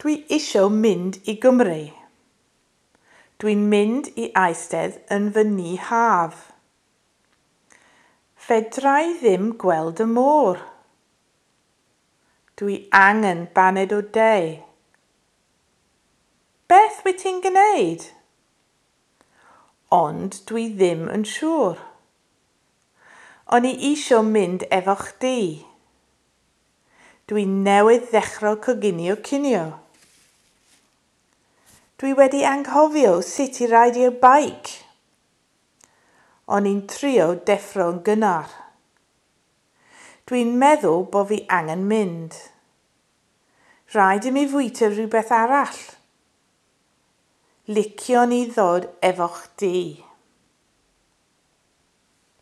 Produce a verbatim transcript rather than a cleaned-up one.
Dwi isio mynd i Gymru. Dwi'n mynd i eistedd yn fy nhŷ haf. Fedra i ddim gweld y môr. Dwi angen baned o de. Beth wyt ti'n gwneud? Ond dwi ddim yn siŵr. O'n i isio mynd efo chdi. Dwi newydd ddechrau coginio cinio. Dwi wedi anghofio sut i reidio beic. O'n i'n trio deffro'n gynnar. Dwi'n meddwl bo fi angen mynd. Rhaid i mi fwyta rhywbeth arall. Liciwn i ddod efo chdi.